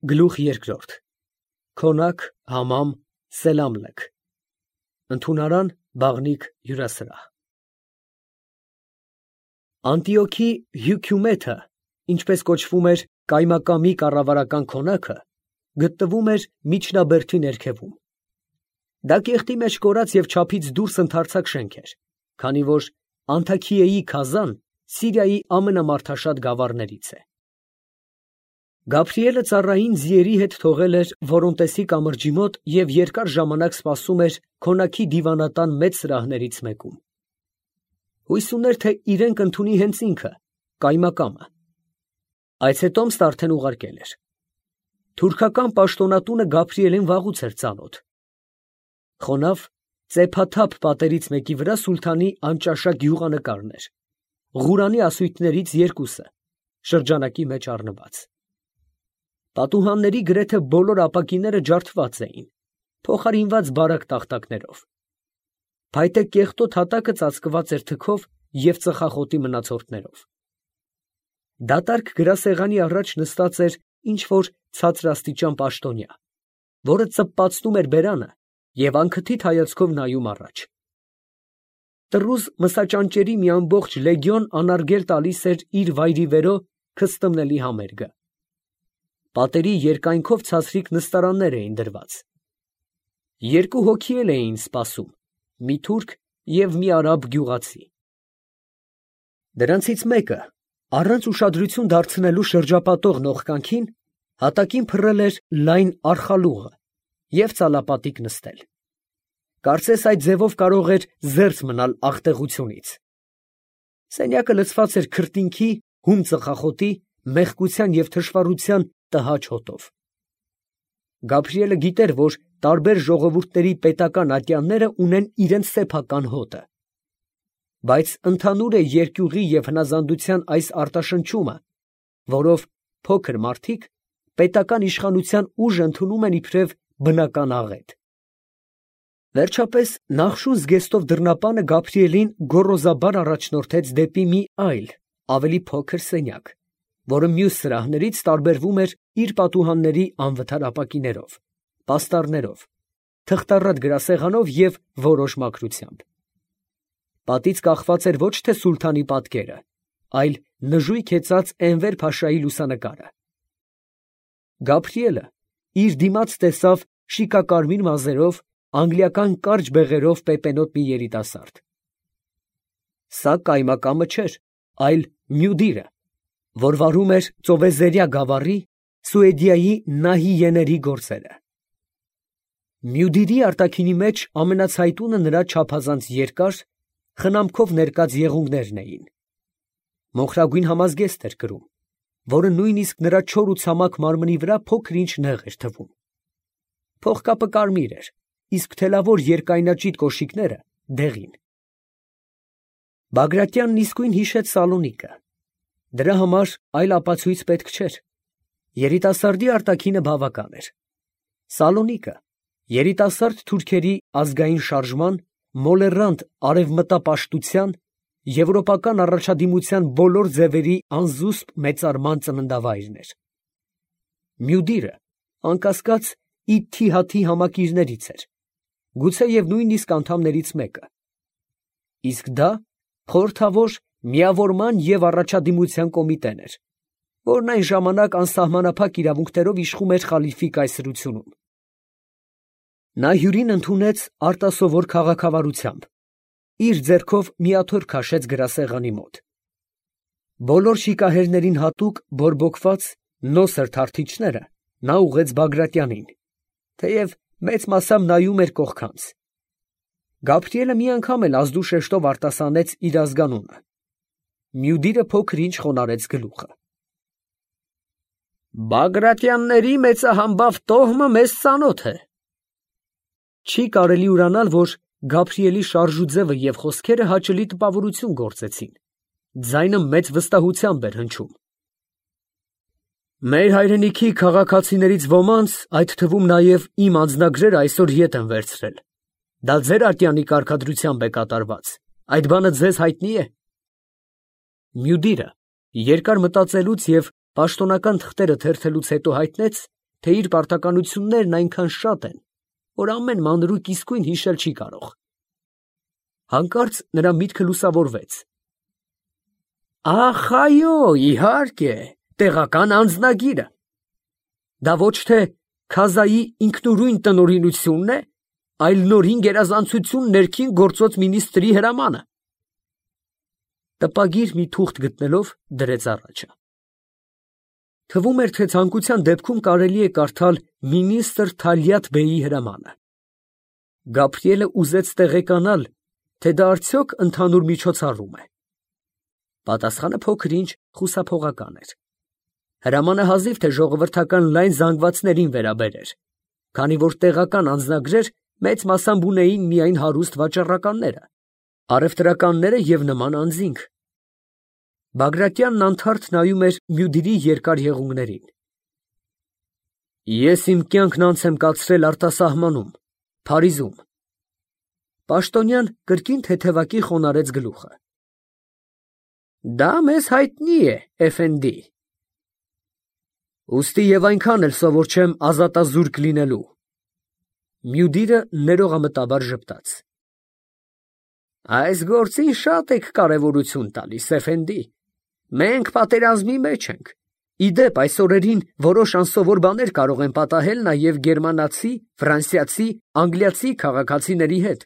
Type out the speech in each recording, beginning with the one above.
Գլուխ երկրորդ Քոնակ, համամ, սելամլեք Ընդունարան, բաղնիք, հյուրասրահ Անտիոքի Հյությումեթը, ինչպես կոչվում էր կայմակամի կառավարական քոնակը, գտնվում էր միջնաբերդի ներքևում։ Դա կեղտի մեջ կորած և չափից դուրս ընդարձակ շենք էր, քանի որ Անթաքիեի Քազան Սիրիայի ամենամարդաշատ գավառներից է։ Գաբրիելը ծառային ձիերի հետ թողել էր Որոնտեսի կամրջի մոտ և երկար ժամանակ սպասում էր քոնակի դիվանատան մեծ սրահներից մեկում։ Հույս ուներ, թե իրեն կընդունի հենց ինքը, կայմակամը։ Այս հետո Տոմսն արդեն ուղարկել էր։ Թուրքական պաշտոնատունը Գաբրիելին վաղուց էր ծանոթ։ Խոնավ, ծեփաթափ պատերից մեկի վրա սուլթանի անճաշակ գյուղանկարն էր, Ղուրանի ասույթներից երկուսը, շրջանակի մեջ առնված։ Պատուհանների գրեթե բոլոր ապակիները ջարդված էին, փոխարինված բարակ տախտակներով։ Փայտե կեղտոտ հատակը ծածկված էր թքով և ծխախոտի մնացորդներով։ Դատարկ գրասեղանի առաջ նստած էր ինչ֊որ ցածրաստիճան պաշտոնյա, որը ծպպացնում էր բերանը և անքթիթ հայացքով նայում առաջ։ Տռուզ մսաճանճերի մի ամբողջ լեգիոն անարգել տալիս էր իր վայրիվերո քստմնելի համերգը։ Պատերի երկայնքով ցածրիկ նստարաններ էին դրված։ Երկու հոգի էլ էին սպասում, մի թուրք և մի արաբ գյուղացի։ Դրանցից մեկը, առանց ուշադրություն դարձնելու շրջապատող նողկանքին, հատակին փռել էր լայն արխալուղը և ծալապատիկ նստել։ Կարծես այդ ձևով կարող էր զերծ մնալ աղտեղությունից։ Սենյակը լցված էր քրտինքի, հում ծխախոտի, մեղկության և թշվառության տհաճ հոտով։ Գաբրիելը գիտեր, որ տարբեր ժողովուրդների պետական ատյանները ունեն իրենց սեփական հոտը։ Բայց ընդհանուր է երկյուղի և հնազանդության այս արտաշնչումը, որով փոքր մարդիկ պետական իշխանության ուժ ընդունում են իբրև բնական աղետ։ Վերջապես նախշուն զգեստով դռնապանը Գաբրիելին գոռոզաբար առաջնորդեց դեպի մի այլ, ավելի փոքր սենյակ, որը մյուս սրահներից տարբերվում էր իր պատուհանների անվթար ապակիներով, պաստառներով, թղթառատ գրասեղանով և որոշ մաքրությամբ։ Պատից կախված էր ոչ թե սուլթանի պատկերը, այլ նժույգ հեծած Էնվեր փաշայի լուսանկարը։ Գաբրիելը իր դիմաց տեսավ շիկակարմիր մազերով, անգլիական կարճ բեղերով պեպենոտ մի երիտասարդ։ Սա կայմակամը չէր, այլ Մյուդիրը, որ վարում էր ծովեզերյա գավառի Սուեդիայի նահիեների գործերը։ Մյուդիրի արտաքինի մեջ ամենացայտունը նրա չափազանց երկար, խնամքով ներկած եղունգներն էին։ Մոխրագույն համազգեստ էր կրում, որը նույնիսկ նրա չոր ու ցամաք մարմնի վրա փոքր-ինչ նեղ էր թվում։ Փողկապը կարմիր էր, իսկ թելավոր երկայնաճիտ կոշիկները դեղին։ Բագրատյանն իսկույն հիշեց Սալոնիկը։ Դրա համար այլ ապացույց պետք չէր։ Երիտասարդի արտաքինը բավական էր։ Սալոնիկը երիտասարդ թուրքերի ազգային շարժման, մոլեռանդ արևմտապաշտության, եվրոպական առաջադիմության բոլոր ձևերի անզուսպ մեծարման ծննդավայրն էր։ Մյուդիրը, անկասկած, Իթիհադի համակիրներից էր, գուցեև նույնիսկ անդամներից մեկը։ Իսկ դա խորհրդավոր միավորման և առաջադիմության կոմիտեն էր, որն այն ժամանակ անսահմանափակ իրավունքներով իշխում էր խալիֆի կայսրությունում։ Նա հյուրին ընդունեց արտասովոր քաղաքավարությամբ, իր ձեռքով մի աթոռ քաշեց գրասեղանի մոտ։ Բոլոր շիկահերներին հատուկ բորբոքված նոսր թարթիչները նա ուղղեց Բագրատյանին, թեև մեծ մասամբ նայում էր կողքանց։ Գաբրիելը մի անգամ էլ ազդու շեշտով արտասանեց իր ազգանունը։ Մյուդիրը փոքր-ինչ խոնարհեց գլուխը։ Բագրատյանների մեծահամբավ տոհմը մեզ ծանոթ է։ Չի կարելի ուրանալ, որ Գաբրիելի շարժուձևը և խոսքերը հաճելի տպավորություն գործեցին։ Ձայնը մեծ վստահությամբ էր հնչում։ Մեր հայրենիքի քաղաքացիներից ոմանց, այդ թվում նաև իմ անձնագրերը այսօր ետ են վերցրել։ Դա ձեր ատյանի կարգադրությամբ է կատարված, այդ բանը ձեզ հայտնի է։ Մյուդիրը երկար մտածելուց և պաշտոնական թղթերը թերթելուց հետո հայտնեց, թե իր պարտականություններն այնքան շատ են, որ ամեն մանրուք իսկույն հիշել չի կարող։ Հանկարծ նրա միտքը լուսավորվեց։ Ախ, այո, իհարկե, տեղական անձնագիրը։ Դա ոչ թե Քազայի ինքնուրույն տնօրինությունն է, այլ նորին գերազանցություն ներքին գործոց մինիստրի հրամանը։ Տպագիր մի թուղթ գտնելով դրեց առաջը։ Թվում էր, թե ցանկության դեպքում կարելի է կարդալ մինիստր Թալյատ բեյի հրամանը։ Գաբրիելը ուզեց տեղեկանալ, թե դա արդյոք ընդհանուր միջոցառում է։ Պատասխանը փոքր-ինչ խուսափողական էր։ Հրամանը հազիվ թե ժողովրդական լայն զանգվածներին վերաբերեր, քանի որ տեղական անձնագրեր մեծ մասամբ ունեին միայն հարուստ վաճառականները, առևտրականները և նման անձինք։ Բագրատյանն անթարթ նայում էր Մյուդիրի երկար եղունգներին։ Ես իմ կյանքն անց եմ կացրել արտասահմանում, Փարիզում։ Պաշտոնյան կրկին թեթևակի խոնարհեց գլուխը։ Դա մեզ հայտնի է, էֆենդի։ Ուստի և այնքան էլ սովոր չեմ ազատազուրկ լինելու։ Մյուդիրը ներողամտաբար ժպտաց։ Այս գործին շատ եք կարևորություն տալիս, էֆենդի։ Մենք պատերազմի մեջ ենք։ Իդեպ, այս օրերին որոշ անսովոր բաներ կարող են պատահել նաև գերմանացի, ֆրանսիացի, անգլիացի քաղաքացիների հետ։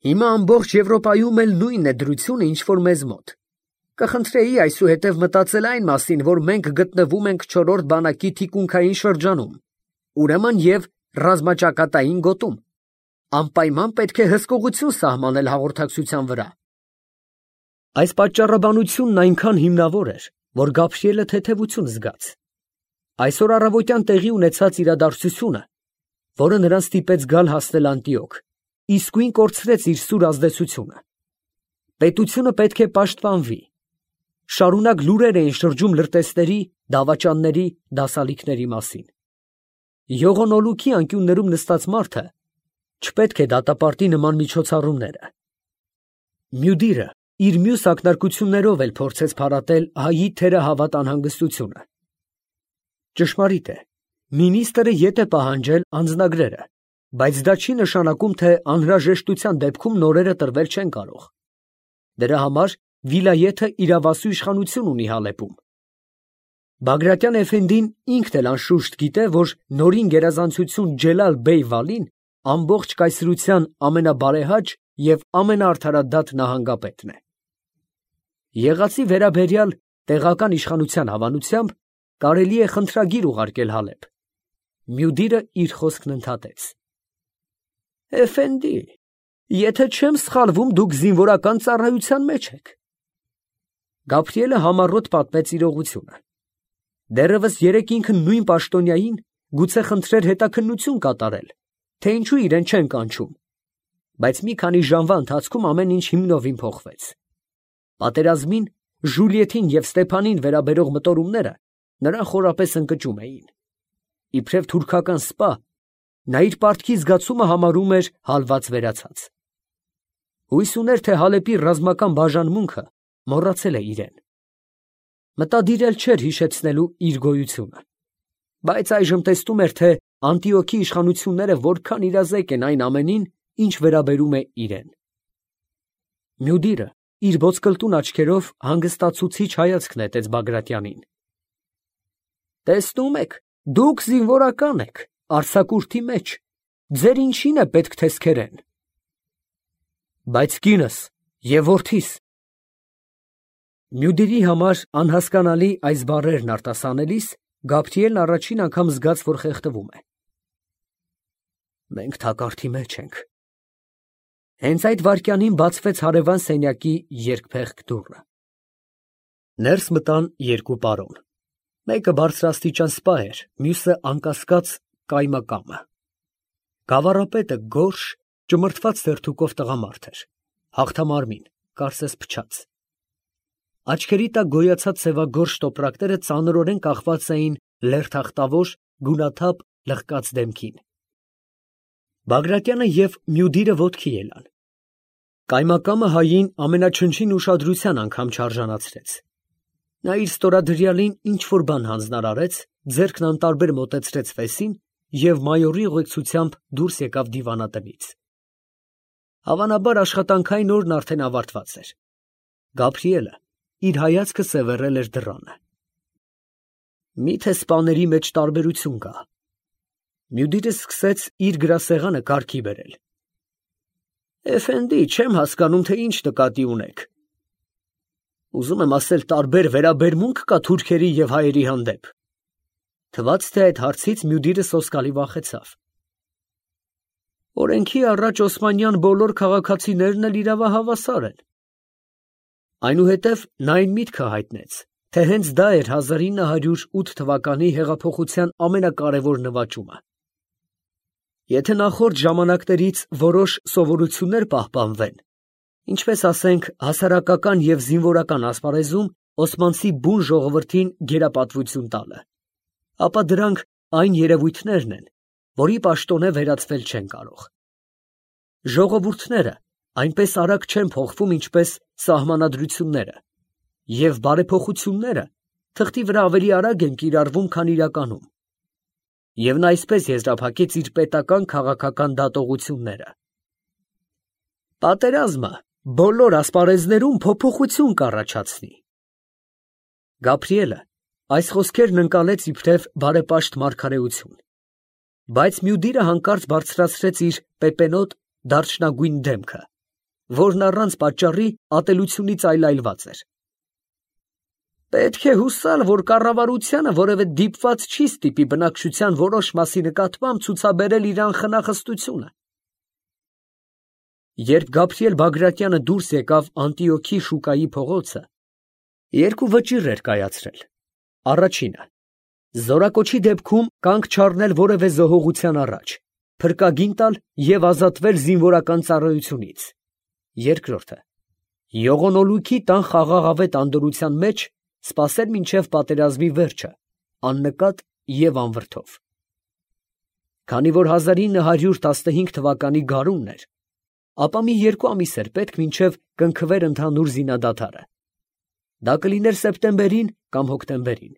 Հիմա ամբողջ Եվրոպայում էլ նույնն է դրությունը, ինչ որ մեզ մոտ։ Կխնդրեի այսուհետև մտածել այն մասին, որ մենք գտնվում ենք չորրորդ բանակի թիկունքային շրջանում, ուրեմն և ռազմաճակատային գոտում։ Անպայման պետք է հսկողություն սահմանել հաղորդակցության վրա։ Այս պատճառաբանությունն այնքան հիմնավոր էր, որ Գաբրիելը թեթևություն զգաց։ Այսօր առավոտյան տեղի ունեցած իրադարձությունը, որը նրան ստիպեց գալ հասնել Անտիոք, իսկույն կորցրեց իր սուր ազդեցությունը։ Պետությունը պետք է պաշտպանվի։ Շարունակ լուրեր էին շրջում լրտեսների, դավաճանների, դասալիքների մասին։ Յողոնոլուքի անկյուններում նստած մարդը չպետք է դատապարտի նման միջոցառումները։ Մյուդիրը իր մյուս ակնարկություններով էլ փորձեց փարատել հայի թերահավատ անհանգստությունը։ Ճշմարիտ է, մինիստրը ետ է պահանջել անձնագրերը, բայց դա չի նշանակում, թե անհրաժեշտության դեպքում նորերը տրվել չեն կարող։ Դրա համար վիլայեթը իրավասու իշխանություն ունի Հալեպում։ Բագրատյան էֆենդին ինքն էլ անշուշտ գիտե, որ նորին գերազանցություն Ջելալ բեյ Վալին ամբողջ կայսրության ամենաբարեհաճ և ամենաարդարադատ նահանգապետն է։ Եղածի վերաբերյալ տեղական իշխանության հավանությամբ կարելի է խնդրագիր ուղարկել Հալեբ։ Մյուդիրը իր խոսքն ընդհատեց։ Էֆենդի, եթե չեմ սխալվում, դուք զինվորական ծառայության մեջ եք։ Գաբրիելը համառոտ պատմեց իրողությունը։ Դեռևս երեկ ինքը նույն պաշտոնյային գուցե խնդրեր հետաքննություն կատարել, թե ինչու իրեն չեն կանչում, բայց մի քանի ժամվա ընթացքում ամեն ինչ հիմնովին փոխվեց։ Պատերազմին, Ժուլիեթին և Ստեփանին վերաբերող մտորումները նրան խորապես ընկճում էին։ Իբրև թուրքական սպա, նա իր պարտքի զգացումը համարում էր հալված վերացած։ Հույս ուներ, թե Հալեպի ռազմական բաժանմունքը մոռացել է իրեն։ Մտադիր էլ չէր հիշեցնելու իր գոյությունը, բայց այժմ տեսնում էր, թե Անտիոքի իշխանությունները որքան իրազեկ են այն ամենին, ինչ վերաբերում է իրեն։ Մյուդիրը իր ոսկլտուն աչքերով հանգստացուցիչ հայացք նետեց Բագրատյանին։ Տեսնում եք, դուք զինվորական եք, արձակուրդի մեջ, ձեր ինչին է պետք թեսքերեն։ Բայց կինս և որդիս։ Մյուդիրի համար անհասկանալի այս բառերն արտասանելիս Գաբրիելն առաջին անգամ զգաց, որ խեղդվում է։ Մենք թակարդի մեջ ենք։ Հենց այդ վայրկյանին բացվեց հարևան սենյակի երկփեղկ դուռը։ Ներս մտան երկու պարոն։ Մեկը բարձրաստիճան սպա էր, մյուսը անկասկած կայմակամը։ Գավառապետը գորշ, ճմրթված սերթուկով տղամարդ էր, հաղթամարմին, կարծես փչած։ Աչքերի տակ գոյացած սևագորշ տոպրակները ծանրորեն կախված էին լերթախտավոր, գունաթափ, լղկած դեմքին։ Բագրատյանը և Մյուդիրը ոտքի ելան։ Կայմակամը հային ամենաչնչին ուշադրության անգամ չարժանացրեց։ Նա իր ստորադրյալին ինչ-որ բան հանձնարարեց, ձեռքն անտարբեր մոտեցրեց ֆեսին և մայորի ուղեկցությամբ դուրս եկավ դիվանատնից։ Հավանաբար աշխատանքային օրն արդեն ավարտված էր։ Գաբրիելը իր հայացքը սևեռել էր դռանը։ Մի՞թե սպաների մեջ տարբերություն կա։ Մյուդիրը սկսեց իր գրասեղանը կարգի բերել։ Էֆենդի, չեմ հասկանում, թե ինչ նկատի ունեք։ Ուզում եմ ասել, տարբեր վերաբերմունք կա թուրքերի և հայերի հանդեպ։ Թվաց, թե այդ հարցից Մյուդիրը սոսկալի վախեցավ։ Օրենքի առաջ Օսմանյան բոլոր քաղաքացիներն էլ իրավահավասար են։ Այնուհետև նա այն միտքը հայտնեց, թե հենց դա էր 1908 թվականի հեղափոխության ամենակարևոր նվաճումը։ Եթե նախորդ ժամանակներից որոշ սովորություններ պահպանվեն, ինչպես ասենք հասարակական և զինվորական ասպարեզում օսմանցի բուն ժողովրդին գերապատվություն տալը, ապա դրանք այն երևույթներն են, որի պաշտոնե վերածվել չեն կարող։ Ժողովուրդները այնպես արագ չեն փոխվում, ինչպես սահմանադրությունները, և բարեփոխությունները թղթի վրա ավելի արագ են կիրառվում, քան իրականում։ Եվ նա այսպես եզրափակեց իր պետական քաղաքական դատողությունները. Պատերազմը բոլոր ասպարեզներում փոփոխություն կառաջացնի։ Գաբրիելը այս խոսքերն ընկալեց իբրև բարեպաշտ մարգարեություն, բայց Մյուդիրը հանկարծ բարձրացրեց իր պեպենոտ դարչնագույն դեմքը, որն առանց պատճառի ատելությունից այլայլված էր։ Պետք է հուսալ, որ կառավարությանը որևէ դիպված չի ստիպի բնակչության որոշ մասի նկատմամբ ցուցաբերել իր անխնախստությունը։ Երբ Գաբրիել Բագրատյանը դուրս եկավ Անտիոքի շուկայի փողոցը, երկու վճիռ էր կայացրել. առաջինը, զորակոչի դեպքում կանգ չառնել որևէ զոհողության առաջ, փրկագին տալ և ազատվել զինվորական ծառայությունից. երկրորդը, յողոնոլույքի տան խաղաղավետ անդորրության մեջ սպասել մինչև պատերազմի վերջը, աննկատ և անվրդով։ Քանի որ 1915 թվականի գարունն էր, ապա մի 2 ամիս էր պետք մինչև կնքվեր ընդհանուր զինադադարը։ Դա կլիներ սեպտեմբերին կամ հոկտեմբերին։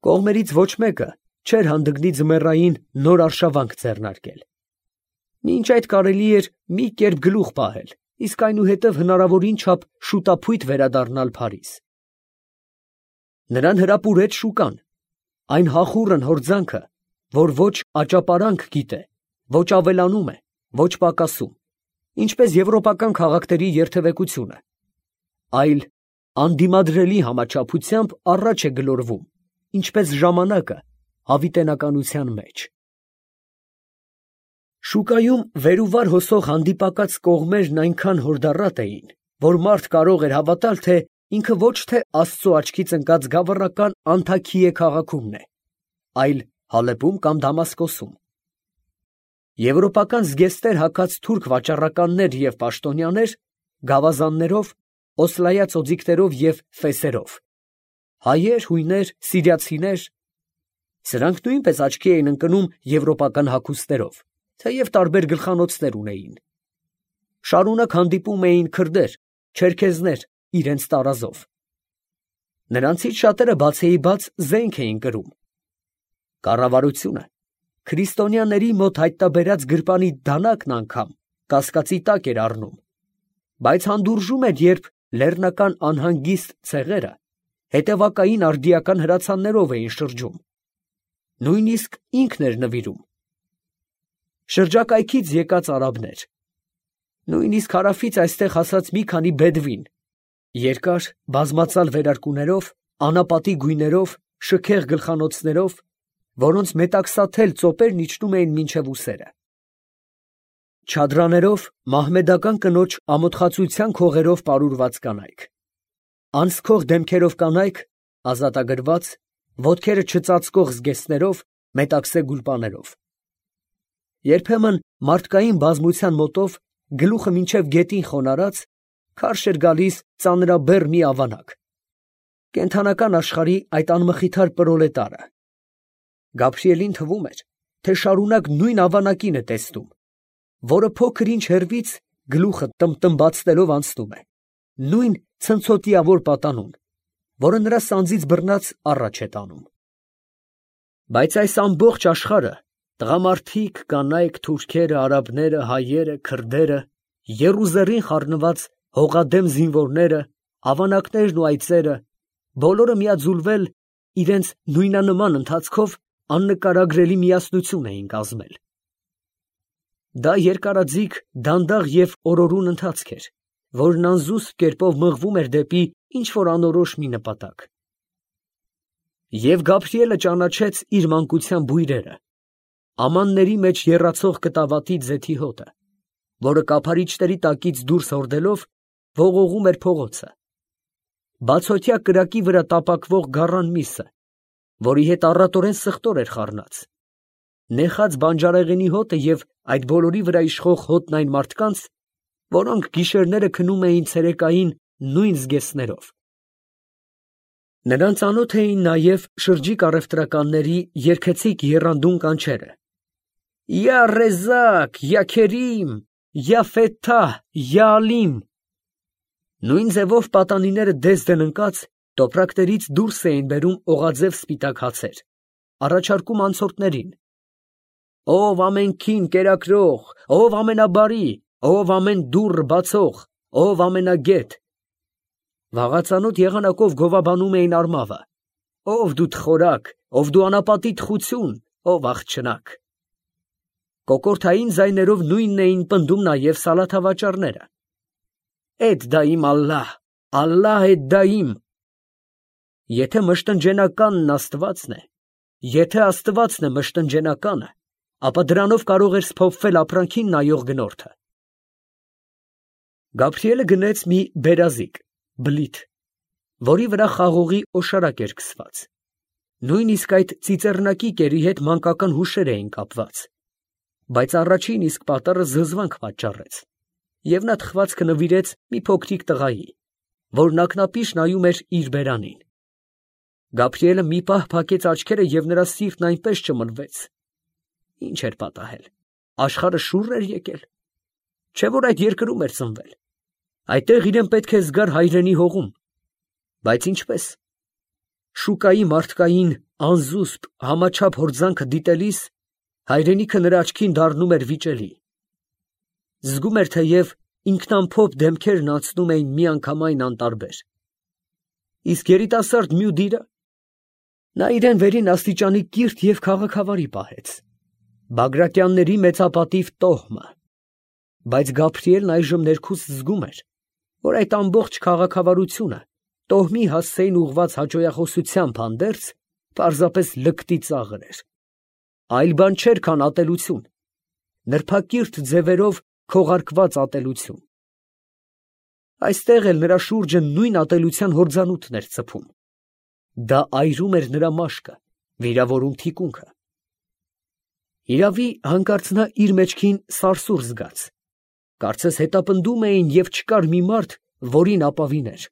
Կողմերից ոչ մեկը չէր հանդգնի ձմեռային նոր արշավանք ձեռնարկել։ Մինչ այդ կարելի էր մի կերպ գլուխ պահել, իսկ այնուհետև հնարավորին չափ շուտափույթ վերադառնալ Փարիզ։ Նրան հրապուրեց շուկան, այն հախուռն հորձանքը, որ ոչ աճապարանք գիտե, ոչ ավելանում է, ոչ պակասում, ինչպես եվրոպական քաղաքների երթևեկությունը, այլ անդիմադրելի համաչափությամբ առաջ է գլորվում, ինչպես ժամանակը հավիտենականության մեջ։ Շուկայում վեր ու վար հոսող հանդիպակաց կողմերն այնքան հորդառատ էին, որ մարդ կարող էր հավատալ, թե ինքը ոչ թե Աստծո աչքից ընկած գավառական Անթաքիե քաղաքումն է, այլ Հալեպում կամ Դամասկոսում։ Եվրոպական զգեստեր հագած թուրք վաճառականներ և պաշտոնյաներ, գավազաններով, օսլայած օձիքներով և ֆեսերով, հայեր, հույներ, սիրիացիներ, սրանք նույնպես աչքի էին ընկնում եվրոպական հագուստերով, թեև տարբեր գլխանոցներ ունեին։ Շարունակ հանդիպում էին քրդեր, չերքեզներ իրենց տարազով։ Նրանցից շատերը բացեիբաց զենք էին կրում։ Կառավարությունը քրիստոնյաների մոտ հայտնաբերած գրպանի դանակն անգամ կասկածի տակ էր առնում, բայց հանդուրժում էր, երբ լեռնական անհանգիստ ցեղերը հետևակային արդիական հրացաններով էին շրջում։ Նույնիսկ ինքն էր նվիրում։ Շրջակայքից եկած արաբներ, նույնիսկ հարավից այստեղ հասած մի քանի բեդվին, երկար բազմածալ վերարկուներով, անապատի գույներով, շքեղ գլխանոցներով, որոնց մետաքսաթել ծոպերն իջնում էին մինչև ուսերը։ Չադրաներով, մահմեդական կնոջ ամոթխածության քողերով պարուրված կանայք, անցքող դեմքերով կանայք, ազատագրված, ոտքերը չծածկող զգեստներով, մետաքսե գուլպաներով։ Երբեմն մարդկային բազմության մոտով գլուխը մինչև գետին խոնարհած, քարշ էր գալիս ծանրաբեռ մի ավանակ, կենդանական աշխարհի այդ անմխիթար պրոլետարը։ Գաբրիելին թվում էր, թե շարունակ նույն ավանակին է տեսնում, որը փոքր ինչ հեռվից գլուխը տմբտմբացնելով անցնում է, նույն ցնցոտիավոր պատանուն, որը նրա սանձից բռնած առաջ է տանում։ Բայց այս ամբողջ աշխարհը, տղամարդիկ, կանայք, թուրքերը, արաբները, հայերը, քրդերը, եռուզեռին խառնված հողադեմ զինվորները, ավանակներն ու այծերը, բոլորը միաձուլվել իրենց նույնանման ընթացքով աննկարագրելի միասնություն էին կազմել։ Դա երկարաձիգ, դանդաղ և օրորուն ընթացք էր, որն անզուսպ կերպով մղվում էր դեպի ինչ-որ անորոշ մի նպատակ։ Եվ Գաբրիելը ճանաչեց իր մանկության բույրերը, ամանների մեջ եռացող կտավատի ձեթի հոտը, որը կափարիչների տակից դուրս հորդելով ողողում էր փողոցը, բացօթյա կրակի վրա տապակվող գառան միսը, որի հետ առատորեն սխտոր էր խառնած, նեխած բանջարեղենի հոտը և այդ բոլորի վրա իշխող հոտն այն մարդկանց, որոնք գիշերները քնում էին ցերեկային նույն զգեստներով։ Նրան ծանոթ էին նաև շրջիկ առևտրականների երգեցիկ եռանդուն կանչերը. «Յա Ռեզակ, յա Քերիմ, յա Ֆեթահ, յա Ալիմ»։ Նույն ձևով պատանիները դես-դեն ընկած տոպրակներից դուրս էին բերում օղաձև սպիտակ հացեր, առաջարկում անցորդներին. «Ով ամենքին կերակրող, ով ամենաբարի, ով ամեն դուռ բացող, ով ամենագետ»։ Վաղածանոթ եղանակով գովաբանում էին արմավը. «Ով դու թխորակ, ով դու անապատի թխություն, ով աղջնակ»։ Կոկորդային ձայներով նույնն էին պնդում նաև սալաթավաճառները. «Էդ դայիմ ալլահ, ալլահ էդ դայիմ»։ Եթե մշտնջենականն Աստվածն է, եթե Աստվածն է մշտնջենականը, ապա դրանով կարող էր սփոփվել ապրանքին նայող գնորդը։ Գաբրիելը գնեց մի բերազիկ, բլիթ, որի վրա խաղողի օշարակ էր քսված։ Նույնիսկ այդ ծիծեռնակի կերի հետ մանկական հուշեր էին կապված, բայց առաջին իսկ պատառը զզվանք պատճառեց, և նա թխվածքը նվիրեց մի փոքրիկ տղայի, որն ակնապիշ նայում էր իր բերանին։ Գաբրիելը մի պահ փակեց աչքերը և նրա սիրտն այնպես ճմլվեց։ Ինչ էր պատահել, աշխարհը շուռ էր եկել, չէ՞ որ այդ երկրում էր ծնվել, այդտեղ իրեն պետք է զգար հայրենի հողում, բայց ինչպես։ Շուկայի մարդկային անզուսպ համաչափ հորձանքը դիտելիս հայրենիքը նրա աչքին դառնում էր վիճելի։ Զգում էր, թեև ինքնամփոփ դեմքերն անցնում էին միանգամայն անտարբեր։ Իսկ երիտասարդ Մյուդիրը, նա իրեն վերին աստիճանի կիրթ և քաղաքավարի պահեց, Բագրատյանների մեծապատիվ տոհմը, բայց Գաբրիելն այժմ ներքուստ զգում էր, որ այդ ամբողջ քաղաքավարությունը տոհմի հասցեին ուղղված հաճոյախոսությամբ հանդերձ պարզապես լկտի ծաղր էր, այլ բան չէր, քան ատելություն, նրբակիրթ ձևերով քողարկված ատելություն։ Այստեղ էլ նրա շուրջը նույն ատելության հորձանուտն էր ցփում։ Դա այրում էր նրա մաշկը, վիրավորում թիկունքը։ Իրավի, հանկարծ նա իր մեջքին սարսուռ զգաց, կարծես հետապնդում էին և չկար մի մարդ, որին ապավիներ։